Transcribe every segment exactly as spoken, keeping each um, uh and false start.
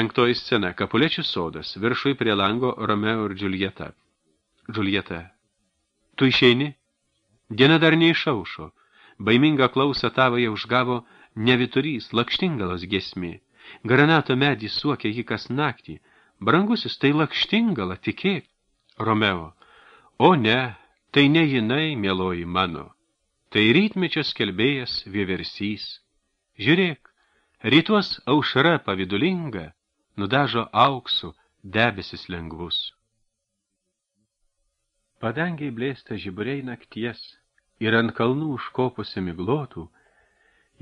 Penktoji scena. Kapulečių sodas. Viršui prie lango Romeo ir Džiuljeta. Džiuljeta. Tu išeini? Diena dar neišaušo. Baimingą klausą tavoje užgavo neviturys, lakštingalos giesmė. Granato medį suokė jį kas naktį. Brangusis, tai lakštingala, tikėk. Romeo. O ne, tai ne jinai, mieloji mano. Tai rytmečio skelbėjas vieversys. Žiūrėk, rytuos aušra pavidulinga, nudažo auksų debesis lengvus. Padangiai blėsta žiburiai nakties ir ant kalnų užkopusi miglotų,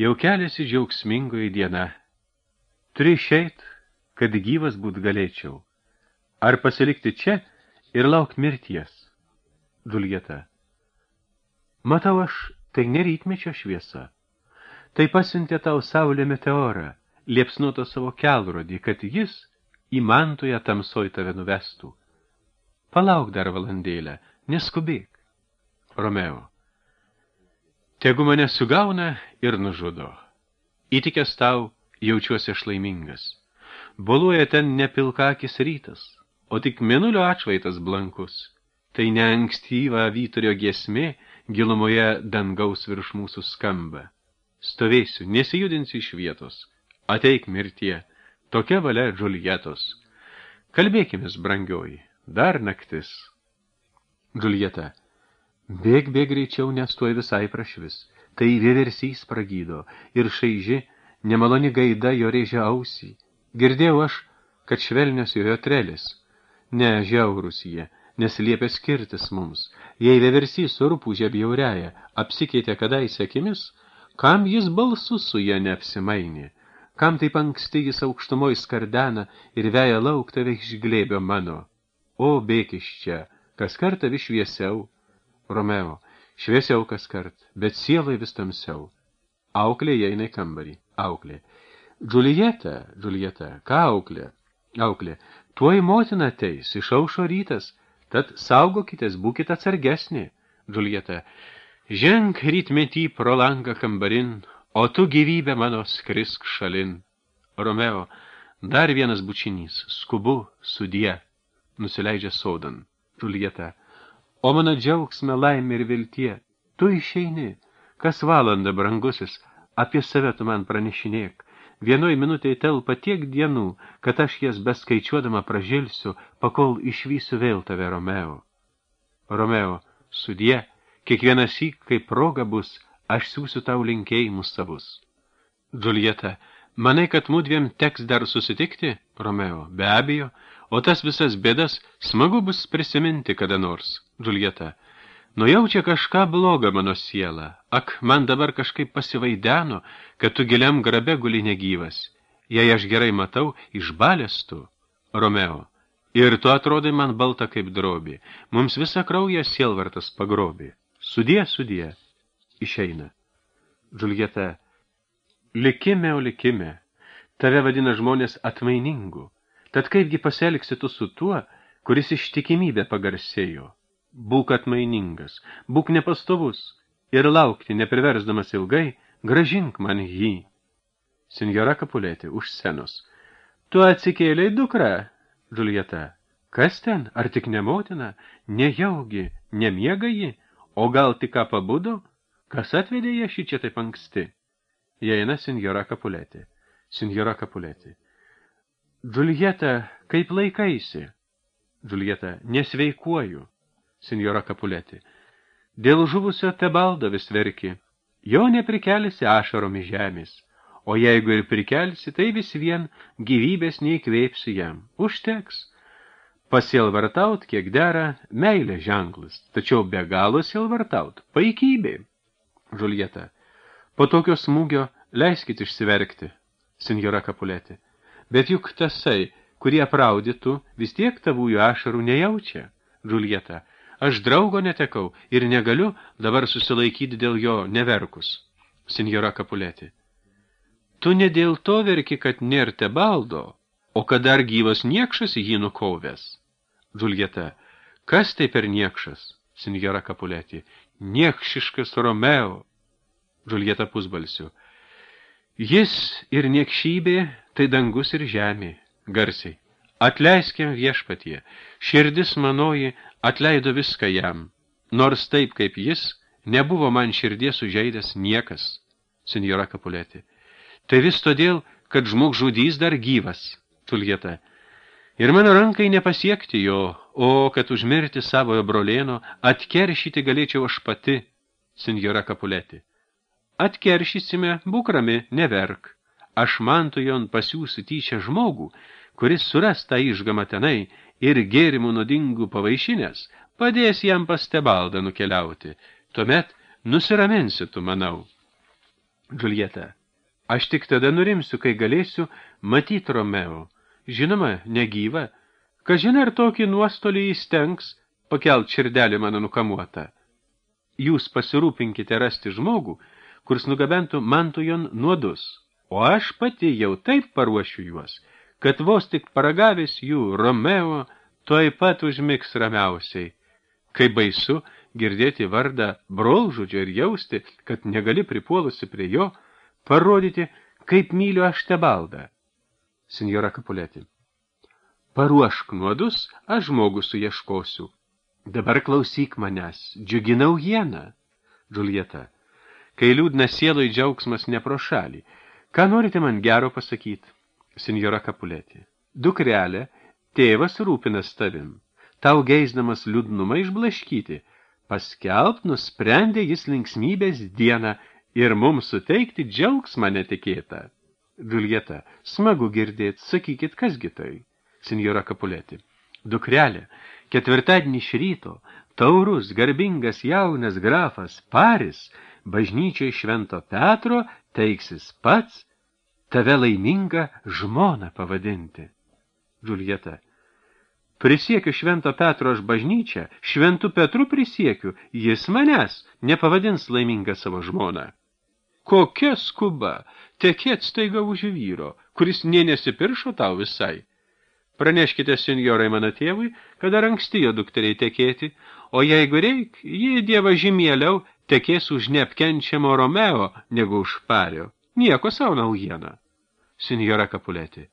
jau keliasi džiaugsmingoji diena. Turi išeit, kad gyvas būt galėčiau. Ar pasilikti čia ir lauk mirties? Džiuljeta. Matau aš, tai ne rytmečio šviesa. Tai pasiuntė tau saulė meteorą, liepsnuoto savo kelrodį, kad jis į mantoje tamsoj tave nuvestų. Palauk dar valandėlę, neskubėk. Romeo. Tegu mane sugauna ir nužudo. Įtikęs tau, jaučiuosi aš laimingas. Boluoja ten ne pilkakis rytas, o tik mėnulio atšvaitas blankus. Tai ne ankstyva vyturio giesmė gilumoje dangaus virš mūsų skamba. Stovėsiu, nesijudinsiu iš vietos. Ateik mirtie, tokia valia Džiuljetos. Kalbėkimės, brangioji, dar naktis. Džiuljeta. Bėg, bėg greičiau, nes tuoj visai prašvis. Tai vieversys pragydo ir šaiži, nemaloni gaida jo rėžia ausį. Girdėjau aš, kad švelnios jojo trelis. Ne, žiaurus jie, nes liepia skirtis mums. Jei vieversys surpūžė bjauriaja, apsikeitė kadaise akimis, kam jis balsu su ja neapsimainė? Kam taip anksti jis aukštumoj skardena ir veja lauk tave iš glėbio mano? O, bėk iš čia, kas kartą vis šviesiau. Romeo, šviesiau kas kart, bet sielai vis tamsiau. Auklė įeina į kambarį. Auklė. Džiuljeta, Džiuljeta, ką auklė? Auklė. Tuoj motina ateis, išaušo rytas, tad saugokitės, būkite atsargesnė. Džiuljeta. Ženk rytmetį pro langą kambarin, o tu gyvybė mano skrisk šalin. Romeo. Dar vienas bučinys, skubu, sudie. Nusileidžia sodan. Džiuljeta. O mano džiaugsme, laimė ir viltie, tu išeini, kas valandą, brangusis, apie save tu man pranešinėk. Vienoj minutėj telpa tiek dienų, kad aš jas beskaičiuodama pražilsiu, pakol išvysiu vėl tave, Romeo. Romeo, sudie, kiekvienas syk, kai proga bus, aš siūsiu tau linkėjimus savus. Džiuljeta, manai, kad mudviem teks dar susitikti? Romeo, be abejo, o tas visas bėdas smagu bus prisiminti kada nors. Džiuljeta, nujaučia kažką blogą mano siela. Ak, man dabar kažkaip pasivaideno, kad tu giliam grabe guli negyvas. Jei aš gerai matau, išbalės tu. Romeo, ir tu atrodai man balta kaip drobė. Mums visą kraują sielvartas pagrobė. Sudie, sudie. Išeina. Džiuljeta, likime, o likime. Tave vadina žmonės atmainingu. Tad kaipgi pasielgsi tu su tuo, kuris ištikimybę pagarsėjo? Būk atmainingas, būk nepastovus ir laukti, nepriversdamas ilgai, gražink man jį. Sinjora Kapulėti, už scenos. Tu atsikėlei, dukra? Džiuljeta. Kas ten? Ar tik ne motina? Nejaugi, nemiega ji? O gal tik ką pabudo? Kas atvedė ją šį čia taip anksti? Įeina sinjora Kapulėti. Sinjora Kapulėti. Džiuljeta, kaip laikaisi? Džiuljeta, nesveikuoju. Sinjora Kapulėti. Dėl žuvusio Tebaldo vis verki. Jo neprikelsi ašarom į žemės. O jeigu ir prikelsi, tai vis vien gyvybės neįkvėpsi jam. Užteks. Pasielvartaut, kiek dera, meilė ženklas. Tačiau be galo sielvartaut. Paikybė. Džiuljeta. Po tokio smūgio leiskit išsiverkti. Sinjora Kapulėti. Bet juk tasai, kurie apraudytų, vis tiek tavųjų ašarų nejaučia. Džiuljeta. Aš draugo netekau ir negaliu dabar susilaikyti dėl jo neverkus. Sinjora Kapulėti. Tu ne dėl to verki, kad nėr Tebaldo, o kad dar gyvas niekšas jį nukovęs. Džiuljeta. Kas tai per niekšas? Sinjora Kapulėti. Niekšiškas Romeo. Džiuljeta pusbalsiu. Jis ir niekšybė, tai dangus ir žemė. garsiai. Atleiskim viešpatie, širdis manoji atleido viską jam, nors taip kaip jis, nebuvo man širdies sužeidęs niekas, senjora Capuletti. Tai vis todėl, kad žmogžudys dar gyvas, Džiuljeta. Ir mano rankai nepasiekti jo, o kad užmirti savojo brolėno, atkeršyti galėčiau aš pati, senjora Capuletti. Atkeršysime, būk rami, neverk. Aš Mantujon pasiūsiu tyčia žmogų, kuris suras tą išgamą tenai ir gėrimų nuodingų pavaišinės, padės jam pas Tebaldą nukeliauti. Tuomet nusiraminsi tu, manau. Džiuljeta, aš tik tada nurimsiu, kai galėsiu matyti Romeo. Žinoma, negyva. Kažin ar tokį nuostolį įstengs pakelt širdelį mano nukamuotą. Jūs pasirūpinkite rasti žmogų, kuris nugabentų Mantujon nuodus, o aš pati jau taip paruošiu juos, kad vos tik paragavęs jų Romeo tuoj pat užmigs ramiausiai. Kai baisu girdėti vardą brolžudžio ir jausti, kad negali pripuolusi prie jo, parodyti, kaip myliu aš Tebaldą. Senjora Capuletti. Paruošk nuodus, aš žmogų suieškosiu. Dabar klausyk manęs, džiugi naujiena. Džiuljeta. Kai liūdna sieloj džiaugsmas ne pro šalį, ką norite man gero pasakyti? Senjora Capuletti. Dukrelė, tėvas rūpinas tavim. Tau geisdamas liūdnumą išblaškyti. Paskelbt nusprendė jis linksmybės dieną ir mums suteikti džiaugsmą netikėtą. Džiuljeta, smagu girdėt, sakykit, kasgi tai? Senjora Capuletti. Dukrelė, ketvirtadienį iš ryto, taurus, garbingas jaunas grafas Paris, bažnyčiai Švento Petro, teiksis pats tave laimingą žmoną pavadinti. Džiuljeta. Prisiekiu Švento Petro aš bažnyčią, Šventu Petru prisiekiu, jis manęs nepavadins laimingą savo žmoną. Kokia skuba, tekėt staiga už vyro, kuris nė nesipiršo tau visai. Praneškite senjorai mano tėvui, kad dar anksti jo dukteriai tekėti, o jeigu reik, jį dieva žymieliau tekės už neapkenčiamo Romeo, negu už Pario. Nieko savo naujiena. Senjora Capuletti.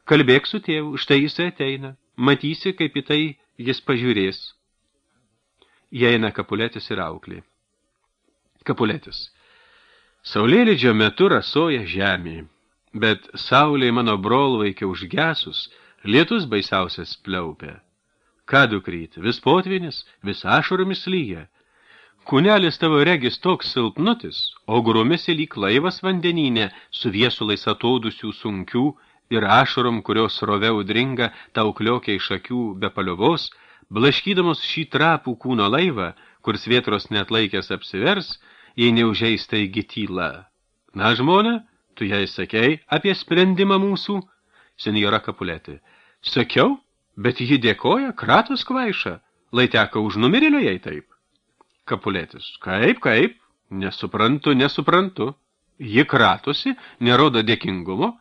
Kalbėk su tėvu, štai jis ateina. Matysi, kaip į tai jis pažiūrės. Įeina Capuletis ir auklė. Capuletis. Saulėlydžio metu rasoja žemė, bet saulė mano brolvaikė užgesus, lietus baisiausias pliaupia. Ką dukryt, vis potvinis, vis ašaromis lyja. Kūnelis tavo regis toks silpnutis, o grumėsi lyg laivas vandenyne, su viesulais ataudusių sunkių ir ašarom, kurios srove audringa tau kliokia iš akių be paliovos, blaškydamos šį trapų kūno laivą, kur svietros neatlaikęs apsivers, jei neužeista įgi tyla. Na, žmona, tu jai sakei apie sprendimą mūsų? Senjora Capuletti. Sakiau, bet ji dėkoja, kratos kvaiša, lai teka už numirėlio jai taip. Capuletis. Kaip, kaip? Nesuprantu, nesuprantu. Ji kratosi, nerodo dėkingumo,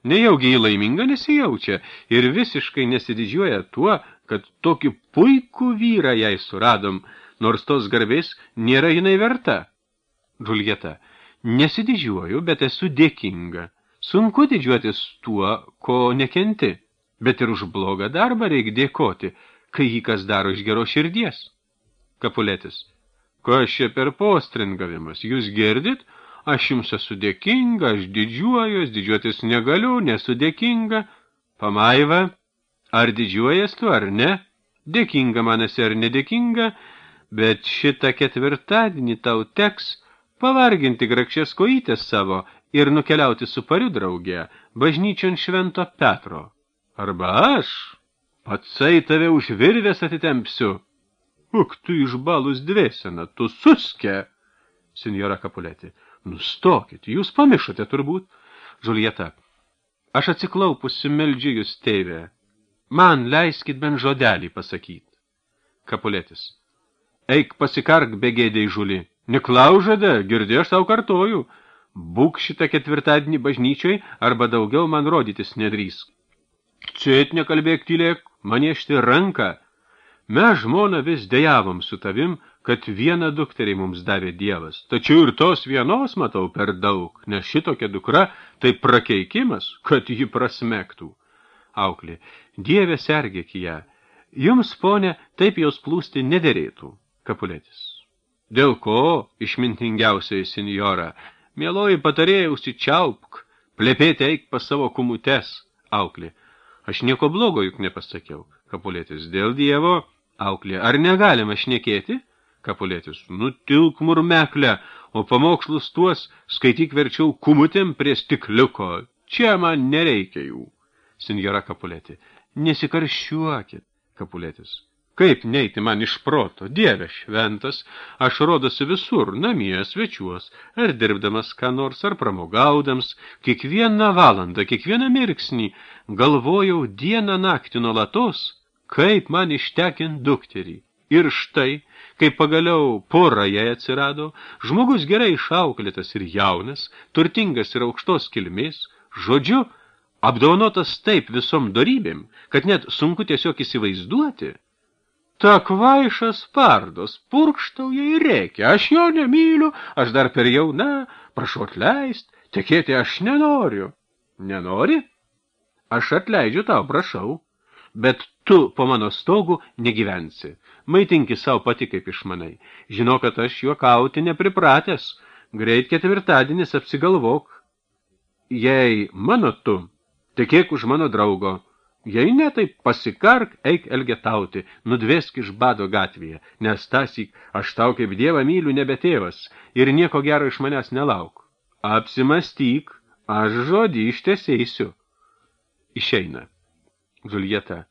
nejaugi ji laiminga nesijaučia ir visiškai nesididžiuoja tuo, kad tokį puikų vyrą jai suradom, nors tos garbės nėra jinai verta. Džiuljeta, nesididžiuoju, bet esu dėkinga. Sunku didžiuotis tuo, ko nekenti, bet ir už blogą darbą reik dėkoti, kai jį kas daro iš geros širdies. Capuletis, kas čia per postringavimas, jūs girdit? Aš jums esu dėkinga, aš didžiuojuos, didžiuotis negaliu, nesu dėkinga. Pamaiva, ar didžiuojas tu ar ne? Dėkinga man esi ar nedėkinga, bet šitą ketvirtadienį tau teks pavarginti grakščias kojytės savo ir nukeliauti su Pariu drauge, bažnyčion Švento Petro. Arba aš, patsai tave už virvės atitempsiu. Uk, tu išbalus dvėsena, tu suske. Senjora Capuletti. Nustokit, jūs pamišote turbūt. Džiuljeta. Aš atsiklaupusi meldžiu jūs tėvę. Man leiskit bent žodelį pasakyti. Capuletis. Eik pasikark begėdei žuli. Neklaužada, girdė aš tau kartoju. Būk šitą ketvirtadienį bažnyčioj, arba daugiau man rodytis nedrįsk. Cėt nekalbėk tylėk, maniešti ranką. Mes žmona vis dejavom su tavim, kad vieną dukterį mums davė Dievas. Tačiau ir tos vienos matau per daug, nes šitokia dukra tai prakeikimas, kad ji prasmektų. Auklė. Dieve, sergėk ją. Jums, ponė, taip jos plūsti nederėtų. Kapuletis. Dėl ko, išmintingiausiai senjora, mieloji patarėjai, užsičiaupk, plepėti eik pas savo kumutes. Auklė. Aš nieko blogo juk nepasakiau. Kapuletis. Dėl Dievo. Auklė. Ar negalima šnekėti? Kapuletis. Nutilk murmeklę, o pamokslus tuos skaityk verčiau kumutėm prie stikliuko. Čia man nereikia jų. Senjora Kapuletė. Nesikarščiuokit. Kapuletis. Kaip neiti man iš proto, Dieve šventas, aš rodosi visur, namie, svečiuos, ar dirbdamas ką nors, ar pramogaudams, kiekvieną valandą, kiekvieną mirksnį, galvojau dieną naktį nuolatos, kaip man ištekint dukterį. Ir štai, kai pagaliau pora jai atsirado, žmogus gerai išauklėtas ir jaunas, turtingas ir aukštos kilmės, žodžiu, apdovanotas taip visom dorybėm, kad net sunku tiesiog įsivaizduoti. Ta kvaišas pardos, purkštauja ir reikia, aš jo nemyliu, aš dar per jauna, prašau atleist, tekėti aš nenoriu. Nenori? Aš atleidžiu tau, prašau, bet tu po mano stogu negyvensi. Maitinki savo pati kaip išmanai. Žinau, kad aš juokauti nepripratęs, greit ketvirtadienis apsigalvok. Jei mano tu, tekėk už mano draugo. Jei ne, tai pasikark, eik elgetauti, nudvesk iš bado gatvėje, nes tąsyk aš tau kaip Dievą myliu nebe tėvas ir nieko gero iš manęs nelauk. Apsimastyk, aš žodį ištesėsiu. Išeina. Džuljeta.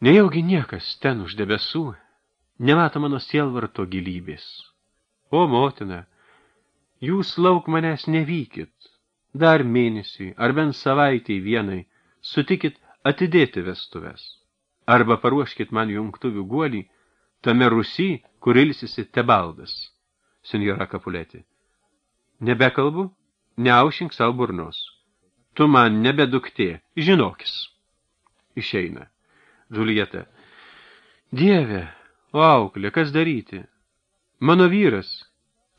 Nejaugi niekas ten už debesų nemato mano sielvarto gilybės. O, motina, jūs lauk manęs nevykit, dar mėnesį ar bent savaitei vienai, sutikit atidėti vestuves, arba paruoškit man jungtuvių guolį, tame Rusy, kur ilsisi Tebaldas. Senjora Kapuletė. Nebekalbu, neaušink savo burnos. Tu man nebeduktė, žinokis. Išeina. Džuljeta. Dieve, o auklė, kas daryti? Mano vyras,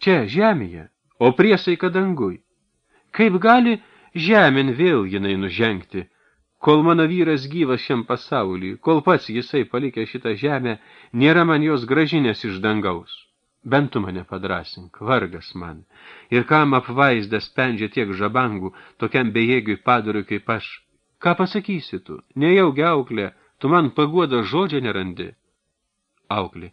čia žemėje, o priesaika dangui. Kaip gali žemėn vėl jinai nužengti, kol mano vyras gyvas šiam pasauliui, kol pats jisai palikė šitą žemę, nėra man jos gražinės iš dangaus. Bent tu mane padrasink, vargas man. Ir kam apvaizdas spendžia tiek žabangų, tokiam bejėgiui padoriui kaip aš. Ką pasakysi tu? Nejaugi auklė, tu man paguodo žodžio nerandi. Auklė.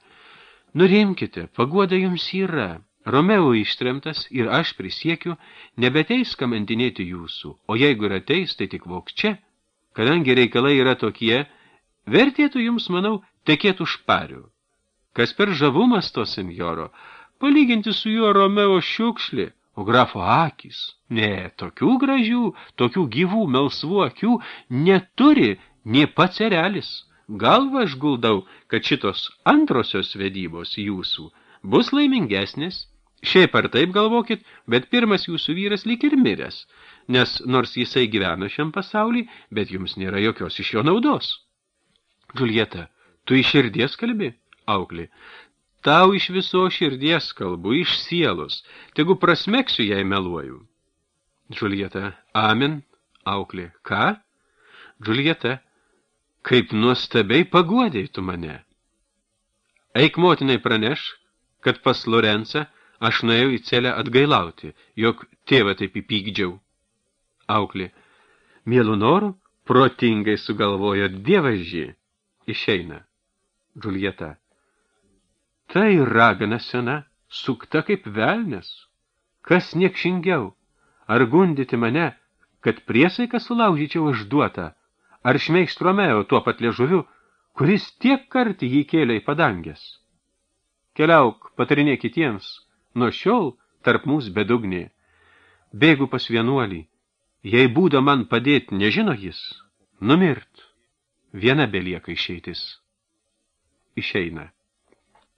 Nurimkite, paguoda jums yra. Romeo ištremtas ir aš prisiekiu, nebeteis kamantinėti jūsų, o jeigu ir ateis, tai tik vok čia. Kadangi reikalai yra tokie, vertėtų jums, manau, tekėtų šparių. Kas per žavumas to senjoro, palyginti su juo Romeo šiukšlė, o grafo akys. Ne, tokių gražių, tokių gyvų, melsvų akių neturi nė pats erelis. Galva aš guldau, kad šitos antrosios vedybos jūsų bus laimingesnės. Šiaip ar taip galvokit, bet pirmas jūsų vyras lyg ir miręs, nes nors jisai gyvena šiam pasaulį, bet jums nėra jokios iš jo naudos. Džuljeta, tu iš širdies kalbi? Auklė. Tau iš viso širdies kalbu, iš sielos, tegu prasmeksiu, jei meluoju. Džuljeta. Amen. Auklė. Ką? Džuljeta. Kaip nuostabiai paguodei tu mane. Eik motinai praneš, kad pas Lorencą aš nuėjau į celę atgailauti, jog tėvą taip įpykdžiau. Auklė. Mielų norų, protingai sugalvojo dievažį. Išeina. Džuljeta. Tai ragana sena, sukta kaip velnes. Kas niekšingiau? Ar gundyti mane, kad priesaiką sulaužyčiau išduotą? Ar šmeikšt Romeo tuo pat liežuviu, kuris tiek kartį jį kėlė į padangės? Keliauk, patarinė kitiems, nuo šiol tarp mūsų bedugnė. Bėgu pas vienuolį, jei būdo man padėti nežino jis, numirt. Viena belieka išeitis. Išeina.